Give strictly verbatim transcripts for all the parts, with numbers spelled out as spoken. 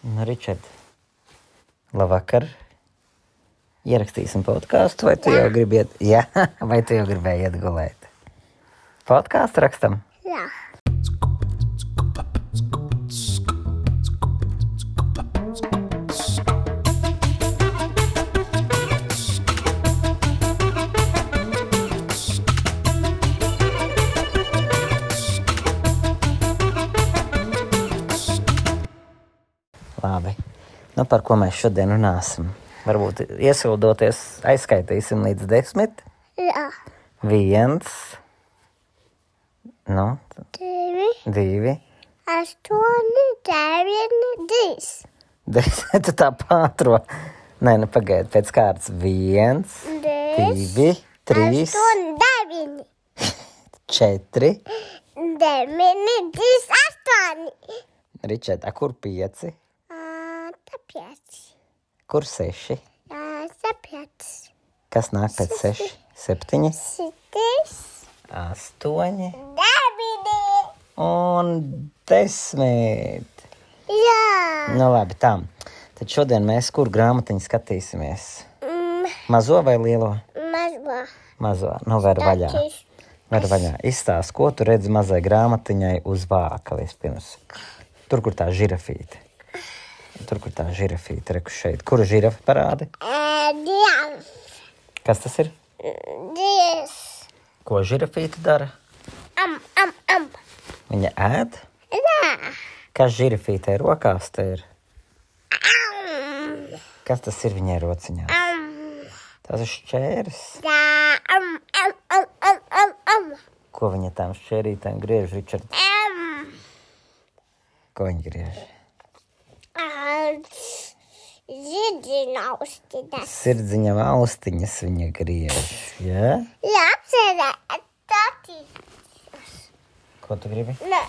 Nu, Ričard, labvakar. Ierakstīsim podkāstu, vai tu Jā. jau gribi iet? Jā, vai tu jau gribēji iet gulēt? Podkāstu rakstam? Jā. Labi. Nu, par ko mēs šodien runāsim? Varbūt iesildoties aizskaitīsim līdz desmit. Jā. Viens. Nu, Divi, divi. astoņi, deviņi, trīs. Desmit, tu tā pātro. Nē, nu pagaidi, pēc kārtas. Viens, divi, trīs, astoņi, deviņi. četri. Deviņi, trīs, astoņi. Ričard, a kur pieci? Ā, tā pieci. Kur seši? Jā, tā pieci. Kas nāk pēc seši? Septiņi, Sitis, astoņi deviņi. un desmit. Jā. Nu labi, tā. Tad šodien mēs kur grāmatiņu skatīsimies? Mm, Mazo vai lielo? mazā. Mazo. Nu, ver vaļā. Ver vaļā. Izstāst, ko tu redzi mazai grāmatiņai uz vāka vispirms. Tur, kur tā žirafīte. Tur, kur tā žirafīte, reku šeit. Kuru žirafi parādi? Ā, Dievs. Kas tas ir? Dievs. Ko žirafīte dara? Am, am, am. Viņa ēd? Jā. Kas žirafītei rokās te ir? Am, Kas tas ir viņai rociņā? am. Tas ir šķērs. Jā, am, am, am, am, am, am. Ko viņa tām šķērītēm griež, Ričard? Am. Ko viņa griež? Ziedina austiņas. Sirdziņam austiņas viņa griež, jā? Jā, apsērē, tati. Ko tu gribi? Nē,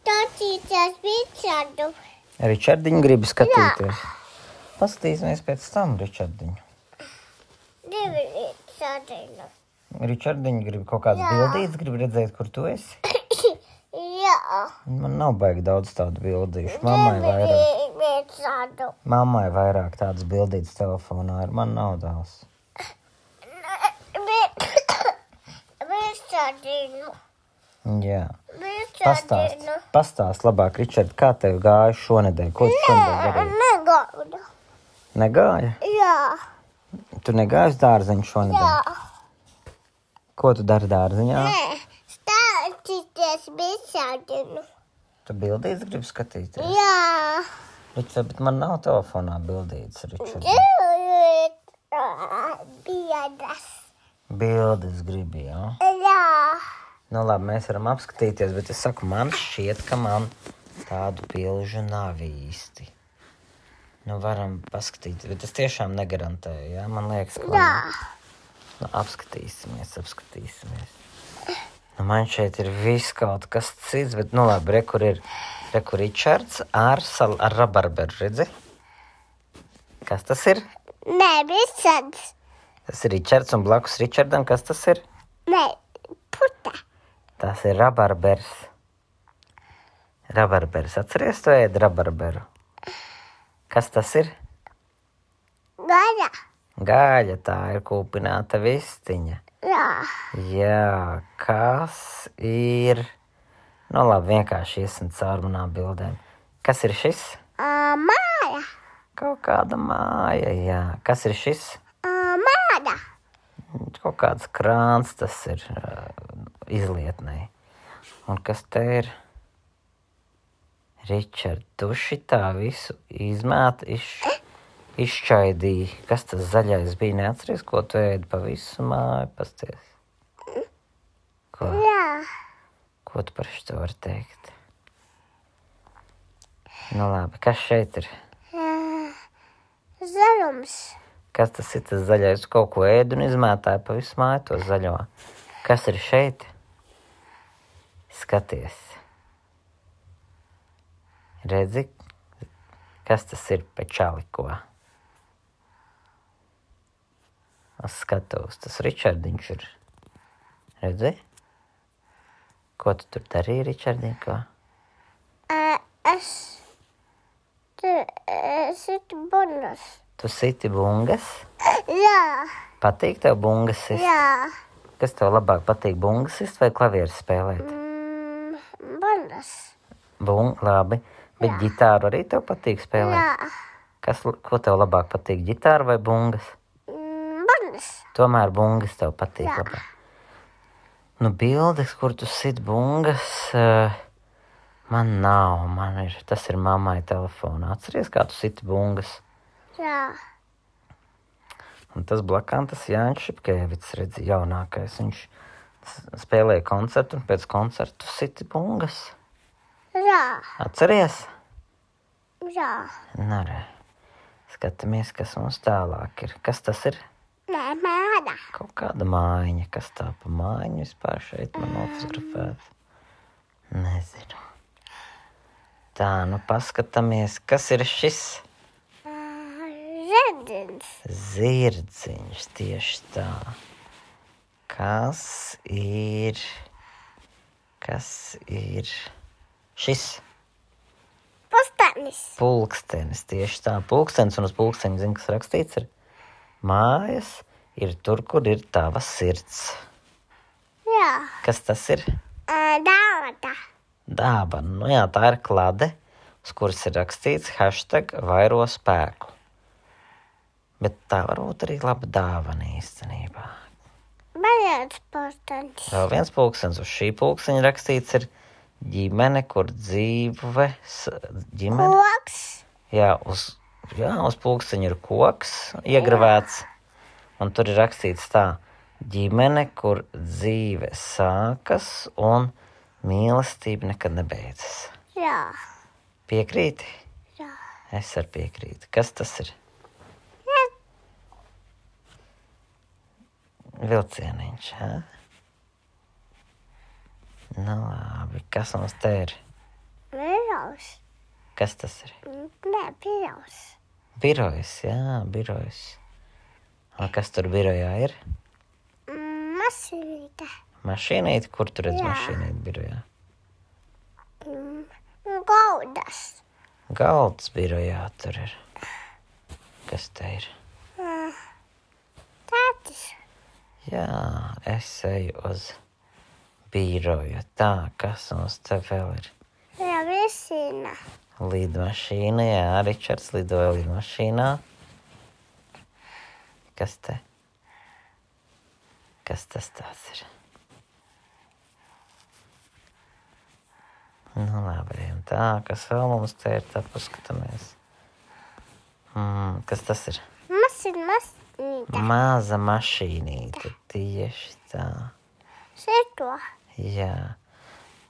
tati, tas Ričardu. Ričardiņu gribi skatīties? Paskatīsimies pēc tam, Ričardiņu. Divi Ričardinu. Ričardiņu gribi kaut kāds Jā. bildīts, gribi redzēt, kur tu esi? Jā. Man nav baigi daudz tādu bildīšu. Mammai vairāk, Divi Ričardu. mammai vairāk tādas bildītas telefonā ir. Man nav daudz. Ričardinu. Jā. Ričardinu. Pastāst, pastāst labāk, Ričard, kā tev gāja šonedēļ? Ko tu šonedēļ darīji? Negaudu. Negāja? Jā. Tu negāji uz dārziņu šonedēļ? Jā. Ko tu dari dārziņā? Nē, stāstīties Ričardinu. Tu bildītas gribi skatīties? Jā. Ričard, bet man nav telefonā bildītas, Ričard. Biedas. Bildes gribi, jā? Jā. Nu labi, mēs varam apskatīties, bet es saku, man šķiet, ka man tādu bilžu nav īsti. Nu varam paskatīties, bet es tiešām negarantēju, jā? Man liekas, ka... Jā. Nu, apskatīsimies, apskatīsimies. Nu, man šeit ir viss kaut kas cits, bet, nu labi, re, kur ir, re, kur Ričards ar, sal, ar rabarberu, redzi? Kas tas ir? Nē, Ričards. Tas ir Ričards un blakus Ričardam, kas tas ir? Nē, puta. Tas ir rabarbers. Rabarbers, atceries, tu ēd rabarberu? Kas tas ir? Gaļa. Gaļa, tā ir kūpināta vistiņa. Jā. Jā, kas ir... Nu labi, vienkārši iesim caur manām bildēm. Kas ir šis? Ā, māja. Kaut kāda māja, jā. Kas ir šis? Ā, māja. Kaut kāds krāns tas ir uh, izlietnei. Un kas te ir? Ričard, tu šitā visu izmēt, iš, izšķaidīji. Kas tas zaļais bija? Neatceries, ko tu ēdi pa visu māju? Pasties. Ko? Jā. Ko tu par šito vari teikt? Nu labi, kas šeit ir? Zaļums. Kas tas ir tas zaļais? Tu kaut ko ēdi un izmētāji pa visu māju to zaļo. Kas ir šeit? Skaties. Redzi, kas tas ir pečaliko? Es skatos, tas Ričardiņš ir. Redzi? Ko tu tur darīji, Ričardiņ, ko? Ā, es Tu esi bungas. Tu siti bungas? Jā, Patīk tev bungas sist? jā. Kas tev labāk patīk, bungas sist vai klavieres spēlēt? Mm, bungas. Bung, labi. Bet Jā. ģitāru arī tev patīk spēlēt? Jā. Kas, ko tev labāk patīk, ģitāra vai bungas? Mm, bungas. Tomēr bungas tev patīk Jā. labāk. Nu, bildes, kur tu sit bungas, uh, man nav. Man ir, tas ir mammai telefonā. Atceries, kā tu siti bungas? Jā. Un tas blakām, tas Jānis Šipkēvits, redzi, jaunākais. Viņš s- spēlēja koncertu un pēc koncertu siti bungas. Jā. Atceries? Jā. Nu, re. Skatāmies, kas mums tālāk ir. Kas tas ir? Nē, māda. Kaut kāda mājiņa. Kas tā pa mājiņu vispār šeit man nofotografēta? Nezinu. Tā, nu paskatāmies, kas ir šis Zedins. zirdziņš tieši tā. Kas ir, kas ir šis Pustanis. pulkstenis tieši tā. Pulkstenis un uz pulksteņa zin, kas rakstīts ir mājas ir tur, kur ir tava sirds. Jā. Kas tas ir? Dāvata. Dāvana. Nu jā, tā ir klade, uz kuras ir rakstīts hashtag vairo spēku. Bet tā varbūt arī laba dāvana īstenībā. Beidzot pustanis. Vēl viens pulkstenis uz šī pulksteņa rakstīts ir ģimene, kur dzīve, s- ģimene. Koks. Jā, uz, jā, uz pulksteņa ir koks iegravēts, un tur ir rakstīts tā, ģimene, kur dzīve sākas un mīlestība nekad nebeidzas. Jā. Piekrīti? Jā. Es arī piekrītu. Kas tas ir? Vilcieniņš, jā? Nu labi, kas mums te ir? Birojas. Kas tas ir? Nē, birojas. Birojas, jā, birojas. Un kas tur birojā ir? Mm, Mašīnīte. Mašīnīte? Kur tu redz Jā. mašīnīti birojā? Mm, Gaudas. Galds birojā tur ir. Kas te ir? Tētis. Jā, es eju uz biroju. Tā, kas mums te vēl ir? Jā, visina. Lidmašīna, jā, Ričards lidoja lidmašīnā. Kas te? Kas tas tās ir? Nu, labi, ejam tā, kas vēl mums te ir, tā paskatāmies. Mm, kas tas ir? Mašīna, mašīnīte. Maza mašīnīte, tieši tā. Šito. Jā,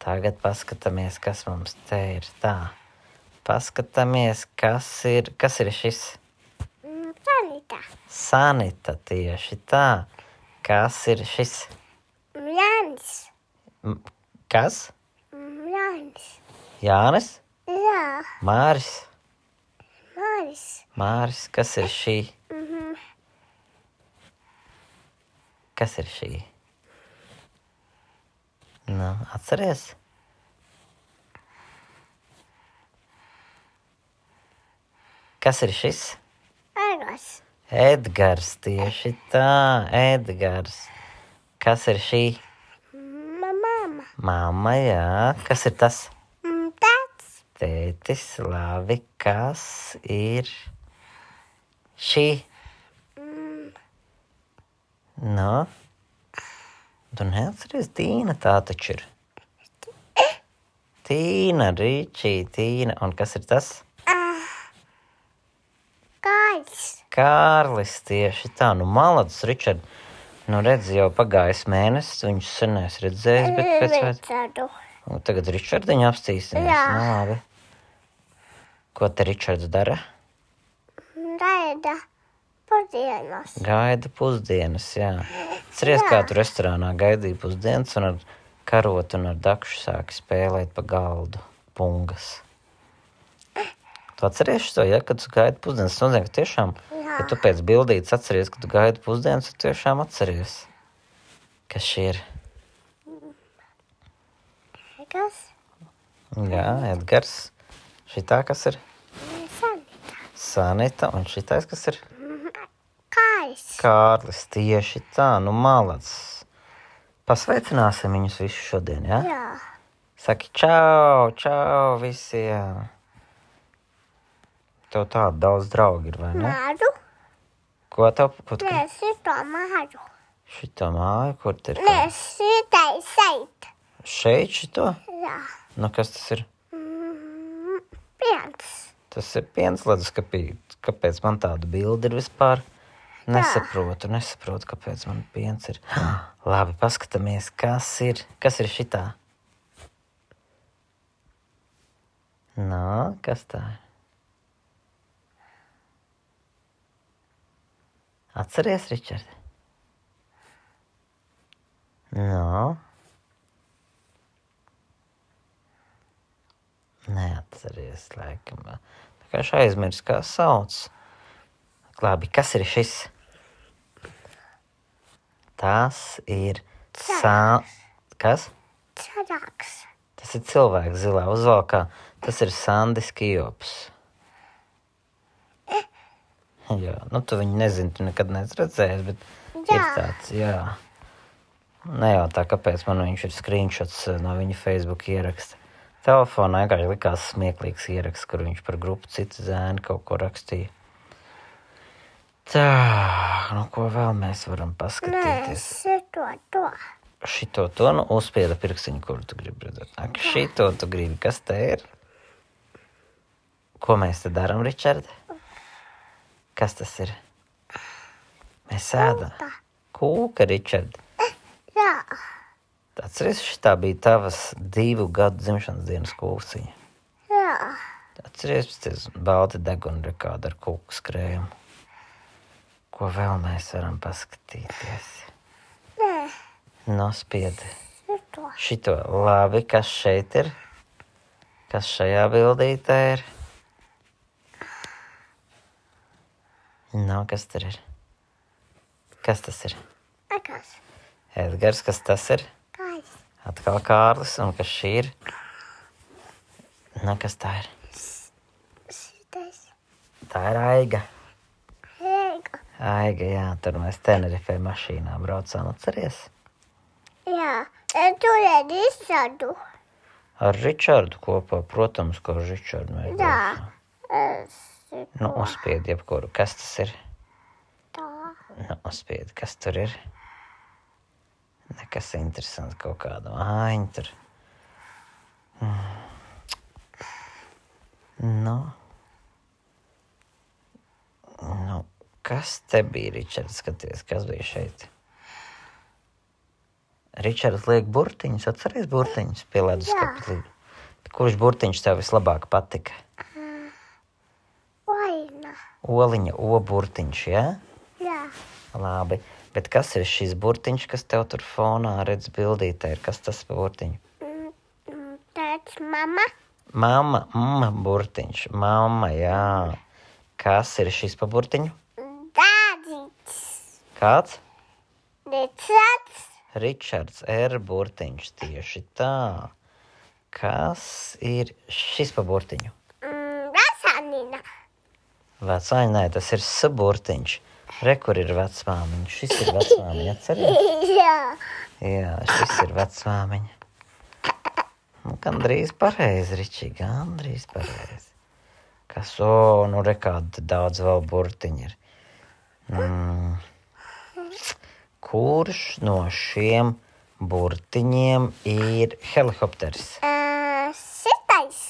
tagad paskatāmies, kas mums te ir. Tā, paskatāmies, kas ir, kas ir šis? Mm, Sanita. Sanita, tieši tā. Kas ir šis? Mm, Jānis. M- Kas? Mm, Jānis. Jānis? Jā. Māris? Māris. Māris, kas ir šī? Mhm. Kas ir šī? Nu, atceries? Kas ir šis? Egos. Edgars, tieši tā, Edgars. Kas ir šī? Mamma. Mamma, jā. Kas ir tas? Mm, Tētis. Tētis, labi. Kas ir šī? Mm, Nu? Tu neatceries, Tīna tā taču ir. Tīna, Ričī, Tīna. Un kas ir tas? Kāds. Kārlis, tieši tā. Nu, malacis, Ričard. Nu, redz, jau pagājis mēnesis, viņš sen es redzējis, bet pēc vēc... Ričardu. Nu, tagad Ričardiņu apstīsimies. Jā. Nu, labi. Ko te Ričards dara? Gaida pusdienas. Gaida pusdienas, jā. Ceries, kā tu restorānā gaidīji pusdienas un ar karotu un ar dakšu sāki spēlēt pa galdu pungas. Tu atceries to, ja, kad tu gaidi pusdienas? Tas nozīmē, ka tiešām, Jā. ja tu pēc bildītes atceries, ka tu gaidi pusdienas, tu tiešām atceries. Kas šī ir? Kas? Jā, Edgars. Šitā kas ir? Sanita. Sanita, un šitais, kas ir? Kājas. Kārlis, tieši tā, nu malacis. Pasveicināsim viņus visus šodien, ja? Jā. Saki čau, čau visiem. Tev tāda daudz draugi ir, vai ne? Māru. Ko tev? Ko tu? Nē, šito māru. Šito māju, kur te ir? Nē, šitai šeit. Šeit šito? Jā. Nu, kas tas ir? Mm, piens. Tas ir piens leduskapī. Kāpēc man tāda bilde ir vispār? Nesaprotu, nesaprotu, kāpēc man piens ir. Labi, paskatāmies, kas ir. Kas ir šitā? Nā, kas tā ir? Atceries, Ričard? No. Neatceries, laikam. Tā kā es aizmirsu, kā sauc. Labi, kas ir šis? Tas ir sā... Kas? Čarāks. Tas ir cilvēks zilā uzvalkā. Tas ir Sandis Kijops. Jā, nu tu viņu nezini, tu nekad neesi redzējis, bet Jā. ir tāds, jā. Nejautā, kāpēc man viņš ir screenshots no viņa Facebook ieraksta. Telefonā vienkārši likās smieklīgs ieraksts, kur viņš par grupu citu zēnu kaut ko rakstīja. Tā, nu ko vēl mēs varam Nē, paskatīties? šito to. Šito to, nu uzspieda pirkstiņu, kuru tu gribi redzēt. Ak, šito tu gribi, kas te ir? Ko mēs te daram, Ričard? Kas tas ir? Mēs ēdam. Kūka, Ričard. Jā. Atceries, šitā bija tavas divu gadu dzimšanas dienas kūciņa. Jā. Atceries, pēc balti deguna rekāda ar kūku skrējumu. Ko vēl mēs varam paskatīties? Nē, Nospiedi. šito. Šito labi, kas šeit ir? Kas šajā bildītē ir? Nav, kas tur ir? Kas tas ir? Akas. Edgars, kas tas ir? Kājas. Atkal Kārlis, un kas šī ir? Nu, kas tā ir? Šitais. Tā ir Aiga. Heiga. Aiga, jā, tur mēs Tenerifē mašīnā braucām, atceries? Jā. Es tur ir izsadu. Ar Ričardu kopā, protams, ko ar Ričardu mēs Jā. braucām. Es šito. Nu, uzspied jebkuru. Kas tas ir? Tā. Nu, uzspied, kas tur ir? Nekas interesants kaut kāda mājiņa tur. Mm. Nu. Nu, kas te bija, Ričards? Skaties, kas bija šeit? Ričards liek burtiņus, atceries burtiņus pie leduskapa? Kurš burtiņš tev vislabāk patika? Vaina. Oliņa, O burtiņš, jā? Jā. Labi. Bet kas ir šis burtiņš, kas tev tur fonā redz bildītē? Ir? Kas tas pa burtiņu? Mm, mm, Tāds mama. Mama, mma burtiņš. Mama, jā. Kas ir šis pa burtiņu? Dādīts. Kāds? Ričards. Ričards R burtiņš, tieši tā. Kas ir šis pa burtiņu? Mm, Vasanina. Vecāņa, nē, tas ir S burtiņš. Re, kur ir vecmāmiņa? Šis ir vecmāmiņa, atceries? Jā. Jā, šis ir vecmāmiņa. Nu, gandrīz pareizi, Ričī, gandrīz pareizi. Kas, o, nu, re, kāda daudz vēl burtiņi ir. Mm. Kurš no šiem burtiņiem ir helikopters? Uh, šitais.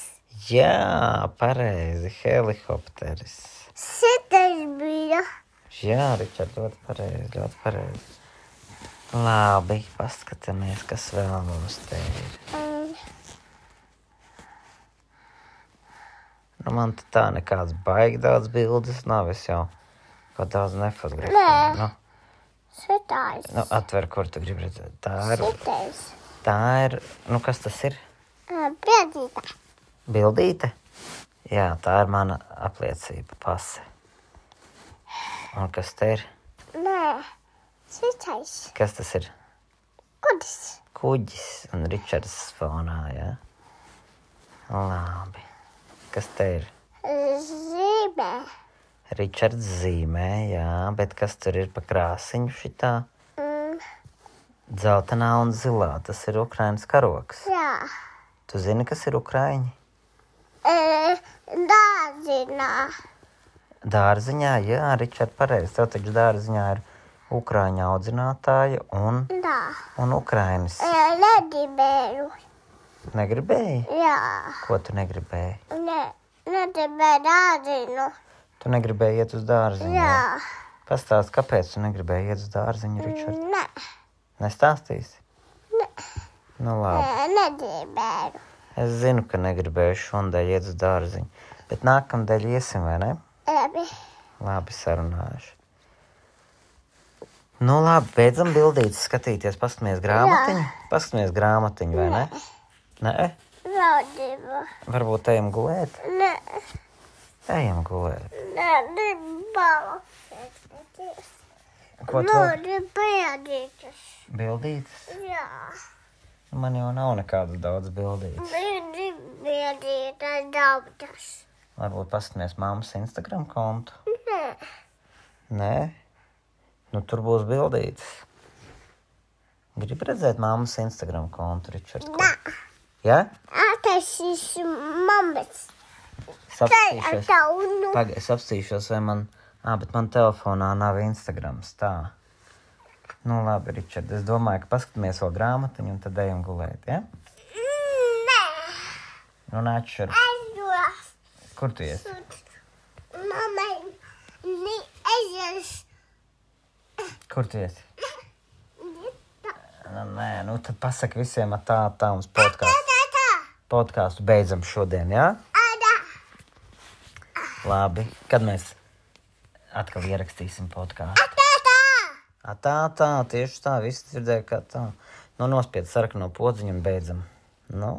Jā, pareizi, helikopteris. Šitais bija. Jā, Ričard, ļoti pareizi, ļoti pareizi. Labi, paskatāmies, kas vēl mums te ir. Mm. Nu, man te tā nekāds baigi daudz bildes nav, es jau kaut daudz Nē. nefotografēju. Nu, Šitais. nu, atver, kur tu gribi redzēt. Tā ir, Šitais. tā ir, nu, kas tas ir? Uh, Biedīta. Bildīte? Jā, tā ir mana apliecība, pase. Un kas te ir? Nē. Šitais. Kas tas ir? Kudis. Kuģis un Ričards fonā, jā? Labi. Kas te ir? Zīmē. Ričards zīmē, jā, bet kas tur ir pa krāsiņu šitā? Mm, Dzeltenā un zilā, tas ir Ukrainas karoks. jā. Tu zini, kas ir ukraiņi? E, dārziņā. Dārziņā, jā, Ričard, pareizi. Tev taču dārziņā ir Ukraiņa audzinātāja un, Tā. un Ukrainis. E, negribēju. Negribēji? Jā. Ko tu negribēji? Ne, negribēju dārziņu. Tu negribēji iet uz dārziņu? Jā. Pastāst, kāpēc tu negribēji iet uz dārziņu, Ričard? Ne, Nestāstīsi? ne, Nu labi. ne, negribēju. Es zinu, ka negribēju šodien iet uz dārziņu, bet nākamdēļ iesim, vai ne? Labi. Labi, sarunājuši. Nu labi, beidzam bildītes skatīties, paskatāmies grāmatiņu. Paskatāmies grāmatiņu, vai ne? Nē? Vēl divu. Varbūt ejam gulēt? Ne, Ejam gulēt. ne, nebalu. Ko Nu, tu? nepēdītas. Bildītes? Jā. Man jau nav nekādas daudz bildītes. Nepēdītas daudzas. Varbūt paskatāmies mammas Instagram kontu. Nē. Nē? Nu, tur būs bildītes. Gribu redzēt mammas Instagram kontu, Ričard? Nā. Ja? Attaisīs mammas. Sapstīšos. Taunu. Pagaid, es apstīšos, vai man... Ā, bet man telefonā nav Instagrams, tā. Nu, labi, Ričard, es domāju, ka paskatāmies vēl grāmatiņu un tad ejam gulēt, ja? Nē. Nu, nāc šur. Es dos. Kur tu ies? Mammai. Ni es. Kur tu ies? Nu, nē, nu, tad pasaka visiem ar tā, tā mums podkāstu. Tā, tā. Podkāstu beidzam šodien, ja? Ada. Labi. Kad mēs atkal ierakstīsim podkāstu? Tā, tā. A, tā, tā, tieši tā, visi dzirdēja, kā tā. Nu, nospied sarkano podziņu un beidzam. Nu?